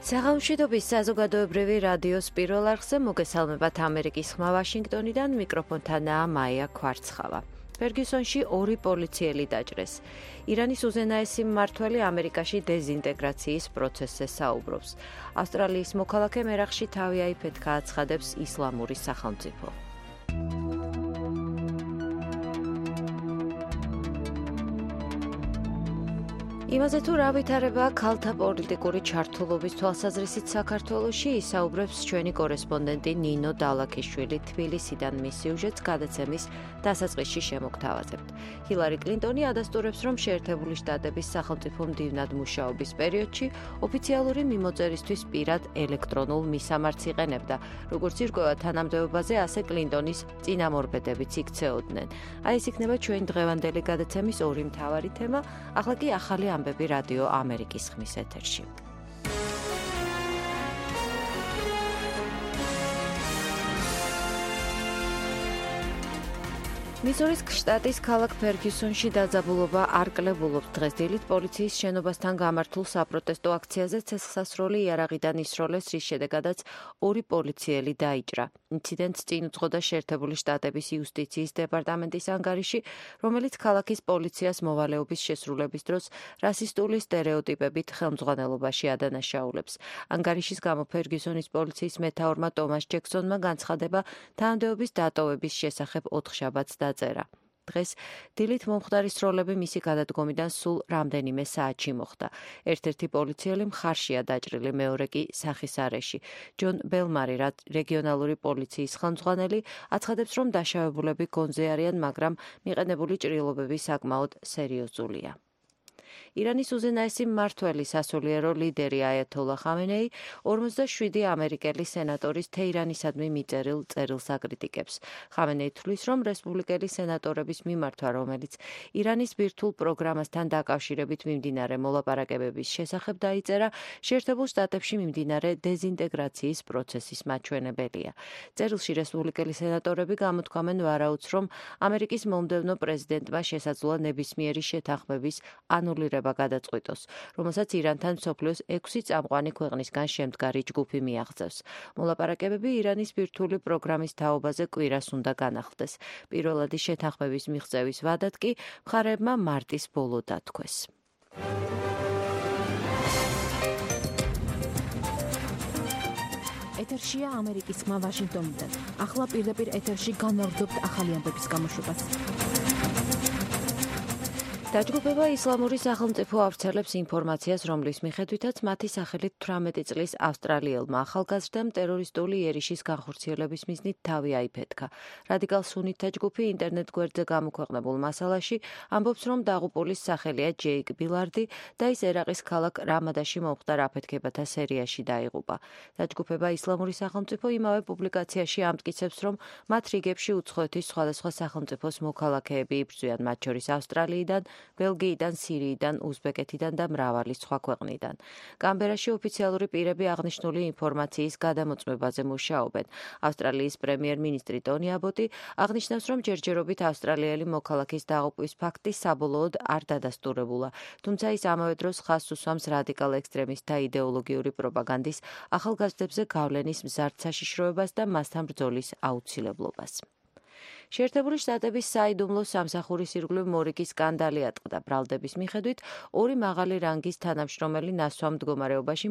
საღამოშვიდობის საზოგადოებრივი რადიოს პირველ არხზე მოგესალმებათ ამერიკის ხმა ვაშინგტონიდან, მიკროფონთანაა მაია ქვარცხავა. ფერგიუსონში 2 პოლიციელი დაჭრეს. ირანის უზენაესი მმართველი ამერიკაში დეზინტეგრაციის პროცესზე საუბრობს. ავსტრალიის მოქალაქე მერახში თავი აიფეთქა აცხადებს ისლამური სახელმწიფო. იმაზე თუ რა ვითარებაა ქალთა პოლიტიკური ჩართულობის თვალსაზრისით საქართველოში, ისაუბრებს ჩვენი კორესპონდენტი ნინო დალაქიშვილი თბილისიდან მის სიუჟეტს გადაცემის დასაწყისში შემოგთავაზებთ. ჰილარი კლინტონი ადასტურებს, რომ შეერთებული შტატების სახელმწიფო მდივნად მუშაობის პერიოდში ოფიციალური მიმოწერისთვის პირად ელექტრონულ მისამართს იყენებდა. როგორც ირკვევა თანამდებობაზე, ასე კლინტონის წინამორბედებიც იქცეოდნენ. აი ეს იქნება ჩვენი დღევანდელი გადაცემის 2 მთავარი თემა, ახლა კი ახალი ამბები რადიო ამერიკის ხმის ეთერში. მისურის შტატის ქალაქ ფერგიუსონში დაძაბულობა არ კლებულობს. დღეს დილით პოლიციის შენობასთან გამართულ საპროტესტო აქციაზე ცეცხლსასროლი იარაღიდან ისროლეს, რის შედეგადაც 2 პოლიციელი დაიჭრა. ინციდენტს წინ უძღოდა შეერთებული შტატების იუსტიციის დეპარტამენტის ანგარიში, რომელიც ქალაქის პოლიციას მოვალეობის შესრულების დროს რასისტული სტერეოტიპებით ხელმძღვანელობაში ადანაშაულებს. ანგარიშის გამო ფერგიუსონის პოლიციის მეთაურმა ტომას ჯექსონმა განცხადება თანამდებობის დატოვების შესახებ 4 შაბათს დაწერა. დღეს დილით მომხდარი სროლები მისი გადადგომიდან სულ რამდენიმე საათში მოხდა. ერთ-ერთი პოლიციელი მხარშია დაჭრილი, მეორე კი სახის არეში. ჯონ ბელმარი, რეგიონალური პოლიციის ხელმძღვანელი, აცხადებს, რომ დაშავებულები გონზე არიან, მაგრამ მიყენებული ჭრილობები საკმაოდ სერიოზულია. ირანის უზენაესი მმართველი სასულიერო ლიდერი აიათოლა ხამენეი 47 ამერიკელი სენატორის თეირანისადმი მიწერილ წერილს აკრიტიკებს. ხამენეი თვლის, რომ რესპუბლიკელი სენატორების მიმართვა, რომელიც ირანის ბირთვულ პროგრამასთან დაკავშირებით მიმდინარე მოლაპარაკებების შესახებ დაიწერა, შეერთებულ შტატებში მიმდინარე დეზინტეგრაციის პროცესის მაჩვენებელია. წერილში რესპუბლიკელი სენატორები გამოთქვამენ ვარაუდს, რომ ამერიკის მომდევნო პრეზიდენტმა შესაძლოა ნებისმიერი შეთანხმების ანულირება გადაწყვიტოს, რომელსაც ირანთან მსოფლიოს 6 წამყვანი ქვეყნისგან შემდგარი ჯგუფი მიაღწევს. მოლაპარაკებები ირანის ბირთვული პროგრამის თაობაზე კვირას უნდა განახლდეს. პირველადი შეთანხმების მიღწევის ვადად კი მხარეებმა მარტის ბოლო დათქვეს. ეთერშია ამერიკის ხმა ვაშინგტონიდან. ახლა პირდაპირ ეთერში განვაგრძობთ ახალი ამბების გამოშვებას. დაჯგუფება ისლამური სახელმწიფო ავრცელებს ინფორმაციას, რომლის მიხედვითაც მათი სახელით 18 წლის ავსტრალიელმა ახალგაზრდამ ტერორისტული იერიშის განხორციელების მიზნით თავი აიფეთქა. რადიკალ სუნიტთა ჯგუფი ინტერნეტ გვერდზე გამოქვეყნებულ მასალაში ამბობს, რომ დაღუპულის სახელია ჯეიკ ბილარდი და ის ერაყის ქალაქ რამადაში მომხდარ აფეთქებათა სერიაში დაიღუპა. დაჯგუფება ისლამური სახელმწიფო იმავე პუბლიკაციაში ამტკიცებს, რომ მათ რიგებში უცხოეთის სხვადასხვა სახელმწიფოს მოქალაქეები იბრძვიან, მათ შორის ავსტრალიიდან, ბელგიიდან, სირიიდან, უზბეკეთიდან და მრავალი სხვა ქვეყნიდან. კამბერაში ოფიციალური პირები აღნიშნული ინფორმაციის გადამოწმებაზე მუშაობენ. ავსტრალიის პრემიერ-მინისტრი ტონი აბოტი აღნიშნავს, რომ ჯერჯერობით ავსტრალიელი მოქალაქის დაღუპვის ფაქტი საბოლოოდ არ დადასტურებულა, თუმცა ის ამავე დროს ხაზს უსვამს რადიკალ ექსტრემისტთა იდეოლოგიური პროპაგანდის ახალგაზრდებზე გავლენის მზარდ საშიშროებას და მასთან ბრძოლის აუცილებლობას. შეერთებული შტატების საიდუმლო სამსახურის ირგვლივ მორიგი სკანდალი ატყდა. ბრალდების მიხედვით 2 მაღალი რანგის თანამშრომელი ნასვამ მდგომარეობაში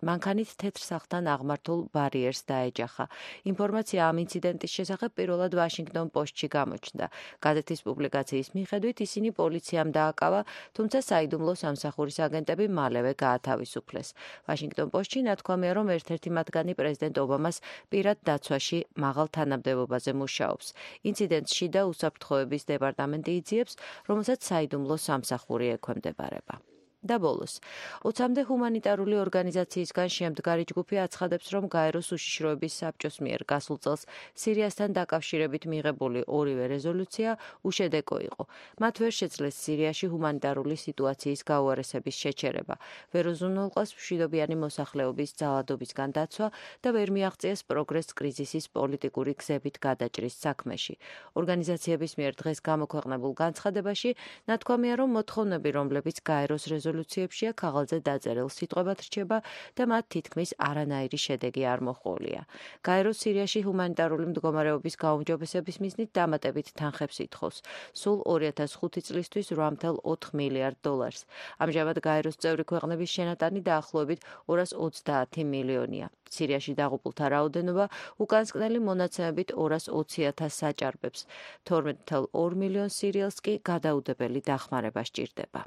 მანქანით თეთრ სახლთან აღმართულ ბარიერს დაეჯახა. ინფორმაცია ამ ინციდენტის შესახებ პირველად ვაშინგტონ პოსტში გამოჩნდა. გაზეთის პუბლიკაციის მიხედვით ისინი პოლიციამ დააკავა, თუმცა საიდუმლო სამსახურის აგენტები მალევე გაათავისუფლეს. ვაშინგტონ პოსტში ნათქვამია, რომ ერთ-ერთი მათგანი პრეზიდენტ ობამას პირად დაცვაში მაღალ თანამდებობაზე მუშაობს. ინციდენტს შიდა უსაფრთხოების დეპარტამენტი იძიებს, რომელსაც საიდუმლო სამსახური ექვემდებარება. და ბოლოს, 20-მდე ჰუმანიტარული ორგანიზაციისგან შემდგარი ჯგუფი აცხადებს, რომ გაეროს უშიშროების საბჭოს მიერ გასულ წელს სირიასთან დაკავშირებით მიღებული 2 რეზოლუცია უშედეგო იყო. მათ ვერ შეძლეს სირიაში ჰუმანიტარული სიტუაციის გაუარესების შეჩერება, ვერ უზრუნველყვეს მშვიდობიანი მოსახლეობის ძალადობისგან დაცვა და ვერ მიაღწიეს პროგრესს კრიზისის პოლიტიკური გზებით გადაჭრის საქმეში. ორგანიზაციების მიერ დღეს გამოქვეყნებულ განცხადებაში ნათქვამია, რომ მოთხოვნები, რომლებიც გაეროს რეზოლუციაში რეზოლუციებშია ქაღალდზე დაწერილ სიტყვებად რჩება და მათ თითქმის არანაირი შედეგი არ მოჰყოლია. გაერო სირიაში ჰუმანიტარული მდგომარეობის გაუმჯობესების მიზნით დამატებით თანხებს ითხოვს, სულ 2005 წლისთვის 8.4 მილიარდ დოლარს. ამჟამად გაეროს წევრი ქვეყნების შენატანი დაახლოებით 230 მილიონია. სირიაში დაღუპულთა რაოდენობა უკანასკნელი მონაცემებით 220,000 საჭარბებს. 12.2 მილიონ სირიელს კი გადაუდებელი დახმარება სჭირდება.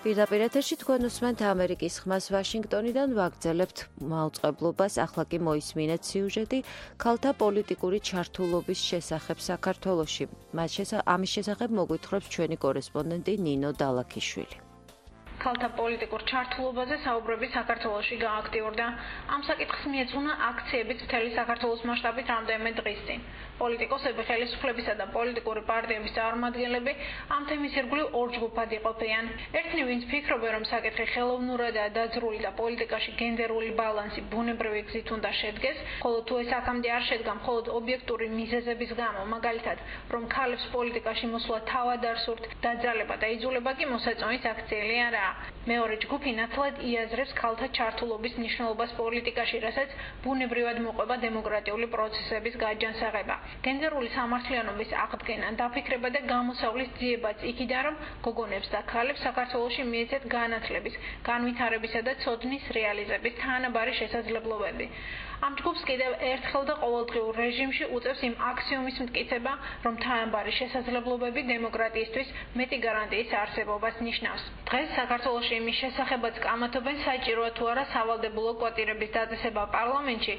პირდაპირ ეთერში თქვენ უსმენთ ამერიკის ხმას ვაშინგტონიდან ვაგრძელებთ მაუწყებლობას. ახლა კი მოისმინეთ სიუჟეტი ქალთა პოლიტიკური ჩართულობის შესახებ საქართველოში. ამის შესახებ მოგვითხრობს ჩვენი კორესპონდენტი ნინო დალაქიშვილი. ქალთა პოლიტიკურ ჩართულობაზე საუბრები საქართველოში გააქტიურდა. ამ საკითხს მიეძღვნა აქციებით მთელი საქართველოს მასშტაბით რამდენიმე დღის წინ. პოლიტიკოსები, ხელისუფლებისა და პოლიტიკური პარტიების წარმომადგენლები ამ თემის ირგვლივ ორ ჯგუფად იყოფიან. ერთნი, ვინც ფიქრობენ, რომ საკითხი ხელოვნურადაა დაძრული და პოლიტიკაში გენდერული ბალანსი ბუნებრივი გზით უნდა შედგეს, ხოლო თუ ეს აქამდე არ შედგა მხოლოდ ობიექტური მიზეზების გამო, მაგალითად, რომ ქალებს პოლიტიკაში მოსვლა თავად არ სურთ, დაძალება და იძულება კი მოსაწონის აქციელი არაა. მეორე ჯგუფი ნათლად იაზრებს ქალთა ჩართულობის მნიშვნელობას პოლიტიკაში, რასაც ბუნებრივად მოყვება დემოკრატიული პროცესების გაჯანსაღება. გენდერული სამართლიანობის აღდგენა, დაფიქრება და გამოსავლის ძიებაც იქიდან, რომ გოგონებს და ქალებს საქართველოში მიეცეთ განათლების, განვითარებისა და ცოდნის რეალიზების თანაბარი შესაძლებლობები. ამ ჯგუფს კიდევ ერთხელ და ყოველდღიურ რეჟიმში უწევს იმ აქსიომის მტკიცება, რომ თანაბარი შესაძლებლობები დემოკრატიისთვის მეტი გარანტიის არსებობას ნიშნავს. დღეს საქართველოში იმის შესახებაც კამათობენ, საჭიროა თუ არა სავალდებულო კვოტირების დაწესება პარლამენტში,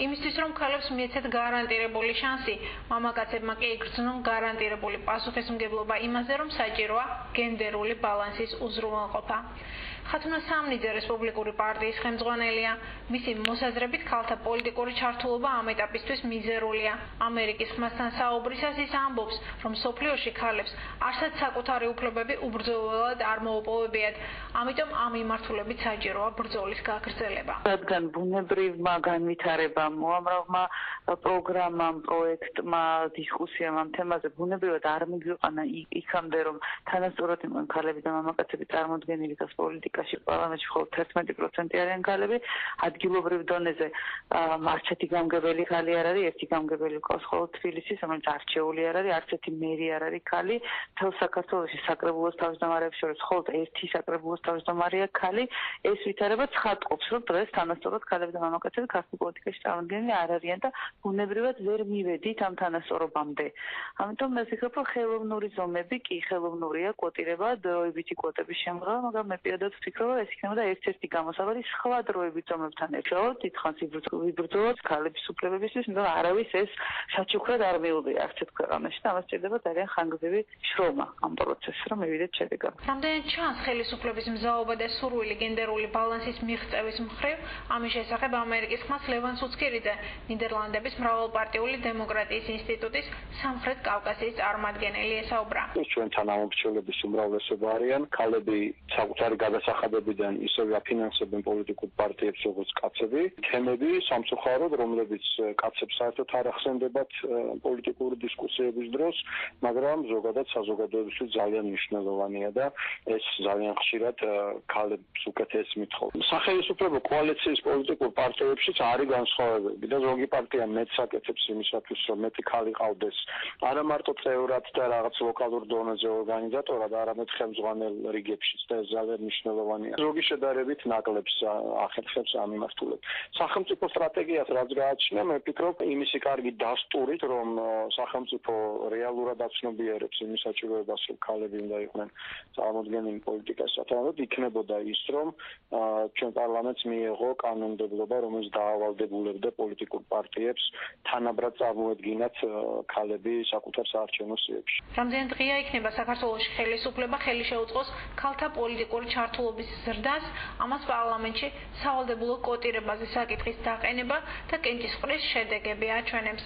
იმისთვის რომ ქალებს მიეცეთ გარანტირებული შანსი, მამაკაცებმა კი იგრძნონ გარანტირებული პასუხისმგებლობა იმაზე, რომ საჭიროა გენდერული ბალანსის უზრუნველყოფა. ხათუნა სამნიძე რესპუბლიკური პარტიის ხელმძღვანელია. მისი მოსაზრებით ქალთა პოლიტიკური ჩართულობა ამ ეტაპისთვის მიზერულია. ამერიკის ხმასთან საუბრისას ის ამბობს, რომ სოფლიოში ქალებს არსად საკუთარი უფლებები უბრძოლველად არ მოუპოვებიათ. ამიტომ ამ მიმართულებით საჭიროა ბრძოლის გაგრძელება. რადგან ბუნებრივმა განვითარებამ, უამრავმა პროგრამამ, პროექტმა, დისკუსიამ ამ თემაზე ბუნებრივად არ მიგვიყანა იქამდე, რომ თანასწორად იყვნენ ქალები და მამაკაცები წარმოდგენილი გას პოლიტიკაში პარლამენტში მხოლოდ 11% არიან ქალები. ადგილობრივ დონეზე არცეთი გამგებელი ქალი არ არის, ერთი გამგებელი ყავს მხოლოდ თბილისში, რომელიც არჩეული არ არის, არც ერთი მერი არ არის ქალი. მთელ საქართველოში საკრებულოს თავმჯდომარეებს შორის მხოლოდ ერთი საკრებულოს თავმჯდომარეა ქალი. ეს ვითარება ცხადყოფს, რომ დღეს თანასწორად ქალები და მამაკაცები ქართულ პოლიტიკაში წარმოდგენილი არ არიან და ბუნებრივად ვერ მივედით ამ თანასწორობამდე. ამიტომ მე ვფიქრობ, რომ ხელოვნური ზომები კი ხელოვნურია, კვოტირება, დროებითი კვოტების შემღება, მაგრამ მე პირადად ვფიქრობ, რომ ეს იქნება ერთ-ერთი გამოსავალი სხვა დროებით ზომებთან ერთად. დიდხანს იბრძოლოთ ქალების უფლებებისთვის, მაგრამ არავის ეს საჩუქრად არ მიუღია არცეთ ქვეყანაში და ამას სჭირდება ძალიან ხანგრძლივი შრომა ამ პროცესში, რომ მივიდეთ შედეგამდე. რამდენად ჩანს ხელისუფლების მზაობა და სურვილი გენდერული ბალანსის მიღწევის მხრივ, ამის შესახებ ამერიკის ხმას ლევან სუცკირიძე, ნიდერლანდების მრავალპარტიული დემოკრატიის ინსტიტუტის სამხრეთ კავკასიის წარმომადგენელი ესაუბრა. ჩვენთან ამომრჩევლების უმრავლესობა არიან ქალები საკუთარი გადასახადებიდან ისევე აფინანსებენ პოლიტიკურ პარტიებს როგორც კაცები. თემები სამწუხაროდ, რომლებიც კაცებს საერთოდ არ ახსენდებათ პოლიტიკური დისკუსიების დროს, მაგრამ ზოგადად საზოგადოებისთვის ძალიან მნიშვნელოვანია და ეს ძალიან ხშირად ქალებს უკეთეს მithხოვს. სახელმწიფო კოალიციის პოლიტიკურ პარტიებშიც არის განსხვავებები და ზოგი პარტია მეტს აკეთებს იმისათვის, რომ მეტი ქალი ყავდეს არა მარტო წევრად და რაღაც ლოკალურ დონეზე ორგანიზატორად, არამედ ხელმძღვანელ რიგებშიც და ეს ძალიან მნიშვნელოვანია. ზოგი შედარებით ნაკლებს ახერხებს ამ მიმართულებით. სახელმწიფო სტრატეგიას რაც გააჩნია, მე ვფიქრობ, იმისი კარგი დასტურით, რომ სახელმწიფო რეალურად აცნობიერებს იმის საჭიროებას, რომ ქალები უნდა იყვნენ წარმოდგენილი პოლიტიკას სათანადოდ, იქნებოდა ის, რომ ჩვენ პარლამენტს მიეღო კანონმდებლობა, რომელიც დაავალდებულებდა პოლიტიკურ პარტიებს თანაბრად წარმოედგინათ ქალები საკუთარ საარჩევნო სიებში. რამდენად ღია იქნება საქართველოში ხელისუფლება ხელი შეუწყოს ქალთა პოლიტიკური ჩართულობის ზრდას, ამას პარლამენტში სავალდებულო კვოტირებაზე საკითხის დაყენება და კენჭისყრის შედეგები აჩვენებს.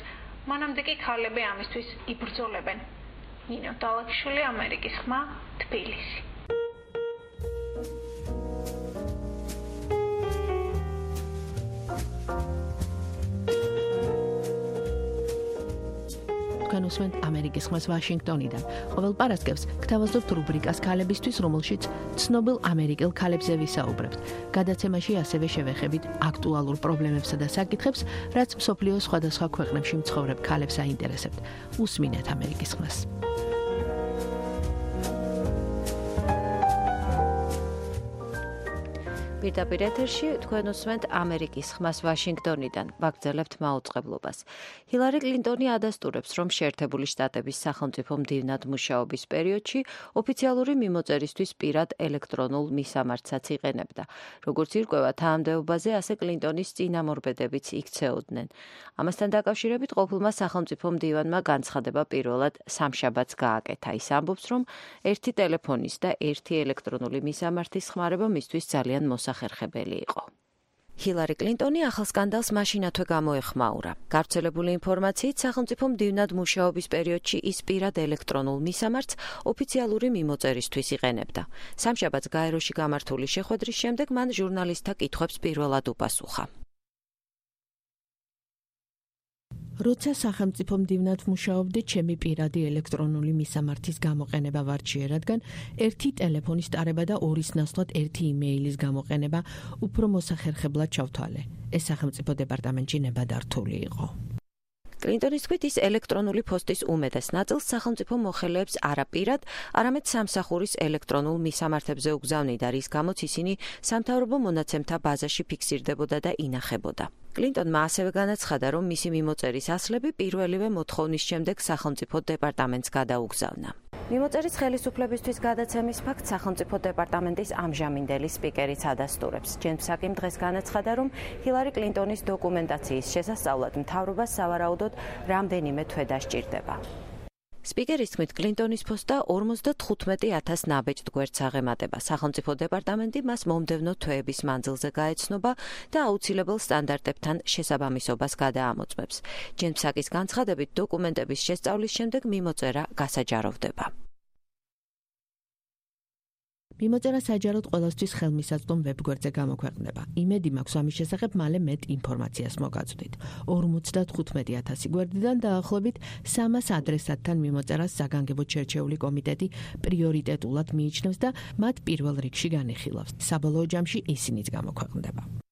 მანამდე კი ქალები ამისთვის იბრძოლებენ. ნინო დალაქიშვილი, ამერიკის ხმა, თბილისი. უსმენთ ამერიკის ხმას ვაშინგტონიდან. ყოველ პარასკევს გთავაზობთ რუბრიკას ქალებისთვის, რომელშიც ცნობილ ამერიკელ ქალებზე ვისაუბრებთ. გადაცემაში ასევე შევეხებით აქტუალურ პრობლემებსა და საკითხებს, რაც მსოფლიოს სხვადასხვა ქვეყნებში მცხოვრებ ქალებს აინტერესებთ. უსმინეთ ამერიკის ხმას. პირდაპირ ეთერში თქვენ უსმენთ ამერიკის ხმას ვაშინგტონიდან. ვაგრძელებთ მაუწყებლობას. ჰილარი კლინტონი ადასტურებს, რომ შეერთებული შტატების სახელმწიფო მდივნად მუშაობის პერიოდში ოფიციალური მიმოწერისთვის პირად ელექტრონულ მისამართსაც იყენებდა. როგორც ირკვევა თანამდებობაზე, ასე კლინტონის წინამორბედებიც იქცეოდნენ. ამასთან დაკავშირებით ყოფილმა სახელმწიფო მდივანმა განცხადება პირველად სამშაბათს გააკეთა. ის ამბობს, რომ ერთი ტელეფონის და ერთი ელექტრონული მისამართის ხმარება მისთვის ძალიან მოსახერხებელი იყო. ჰილარი კლინტონი ახალ სკანდალს მაშინათვე გამოეხმაურა. გავრცელებული ინფორმაციით, სახელმწიფო მდივნად მუშაობის პერიოდში ის პირად ელექტრონულ მისამართს ოფიციალური მიმოწერისთვის იყენებდა. სამშაბათს გაეროში გამართული შეხვედრის შემდეგ მან ჟურნალისტთა კითხვებს პირველად უპასუხა. როცა სახელმწიფო მდივნად მუშაობდი, ჩემი პირადი ელექტრონული მისამართის გამოყენება ვარჩიე, რადგან ერთი ტელეფონის ტარება და ორის ნაცვლად ერთი იმეილის გამოყენება უფრო მოსახერხებლად ჩავთვალე. ეს სახელმწიფო დეპარტამენტში ნებადართული იყო. კლინტონის თქმით, ის ელექტრონული პოსტის უმეტეს ნაწილს სახელმწიფო მოხელეებს არა პირად, არამედ სამსახურის ელექტრონულ მისამართებზე უგზავნიდა, რის გამოც ისინი სამთავრობო მონაცემთა ბაზაში ფიქსირდებოდა და ინახებოდა. კლინტონმა ასევე განაცხადა, რომ მისი მიმოწერის ასლები პირველივე მოთხოვნის შემდეგ სახელმწიფო დეპარტამენტს გადაუგზავნა. მიმოწერის ხელისუფლებისთვის გადაცემის ფაქტს სახელმწიფო დეპარტამენტის ამჟამინდელი სპიკერიც ადასტურებს. ჯენსაკიმ დღეს განაცხადა, რომ ჰილარი კლინტონის დოკუმენტაციის შესასწავლად მთავრობას სავარაუდოდ რამდენიმე თვე დასჭირდება. სპიკერის თქმით, კლინტონის პოსტა 55,000 ნაბეჭდ გვერდს აღემატება. სახელმწიფო დეპარტამენტი მას მომდევნო თვეების მანძილზე გაეცნობა და აუცილებელ სტანდარტებთან შესაბამისობას გადაამოწმებს. ჯენსაკის განცხადებით, დოკუმენტების შესწავლის შემდეგ მიმოწერა გასაჯაროვდება. მიმოწერა საჯაროდ ყველასთვის ხელმისაწვდომ ვებგვერდზე გამოქვეყნდება. იმედი მაქვს ამის შესახებ მალე მეტ ინფორმაციას მოგაწვდით. 55,000 გვერდიდან დაახლოებით 300 ადრესატთან მიმოწერას საგანგებოდ შერჩეული კომიტეტი პრიორიტეტულად მიიჩნევს და მათ პირველ რიგში განიხილავს. საბოლოო ჯამში ისინიც გამოქვეყნდება.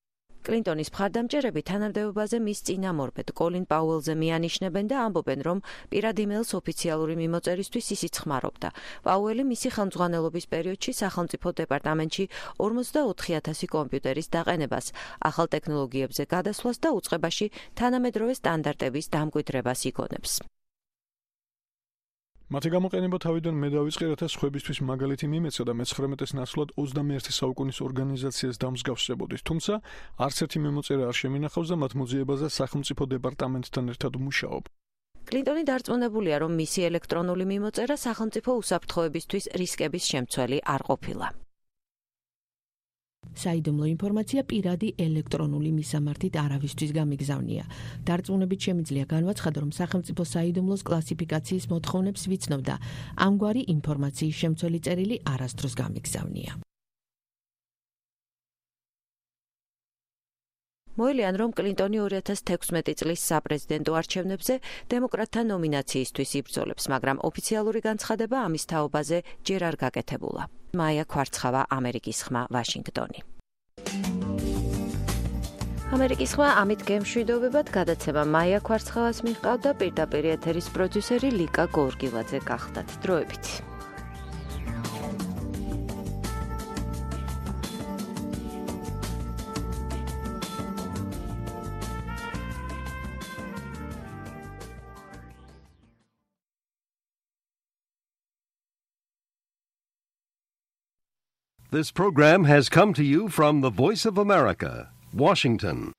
კლინტონის მხარდამჭერები თანამდებობაზე მის წინამორბედ კოლინ პაუელზე მიანიშნებენ და ამბობენ, რომ პირად იმეილს ოფიციალური მიმოწერისთვის ისიც ხმარობდა. პაუელი მისი ხელმძღვანელობის პერიოდში სახელმწიფო დეპარტამენტში 44,000 კომპიუტერის დაყენებას, ახალ ტექნოლოგიებზე გადასვლას და უწყებაში თანამედროვე სტანდარტების დამკვიდრებას იგონებს. მათი გამოყენება თავიდან მე დავიწყე, რათა სხვებისთვის მაგალითი მიმეცა და მე-19 ნაცვლად 21 საუკუნის ორგანიზაციას დამსგავსებოდით. თუმცა არც ერთი მიმოწერა არ შემინახავს და მათ მოძიებაზე სახელმწიფო დეპარტამენტთან ერთად მუშაობ. კლინტონი დარწმუნებულია, რომ მისი ელექტრონული მიმოწერა სახელმწიფო უსაფრთხოებისთვის რისკების შემცველი არ ყოფილა. საიდუმლო ინფორმაცია პირადი ელექტრონული მისამართით არავისთვის გამიგზავნია. დარწმუნებით შემიძლია განვაცხადო, რომ სახელმწიფო საიდუმლოს კლასიფიკაციის მოთხოვნებს ვიცნობდა. ამგვარი ინფორმაციის შემცველი წერილი არასდროს გამიგზავნია. მოილიან, რომ კლინტონი 2016 წლის საპრეზიდენტო არჩევნებზე დემოკრატთა ნომინაციისთვის იბრძოლებს, მაგრამ ოფიციალური განცხადება ამის თაობაზე ჯერ არ გაკეთებულა. მაია კვარცხავა, ამერიკის ხმა, ვაშინგტონი. ამერიკის ხმა ამით გემშვიდობებად გადაცემა მაია კვარცხავას მიჰყავდა, პირდაპირ ეთერის პროდიუსერი ლიკა გორგილაძე გახდათ. დროებით. This program has come to you from the Voice of America, Washington.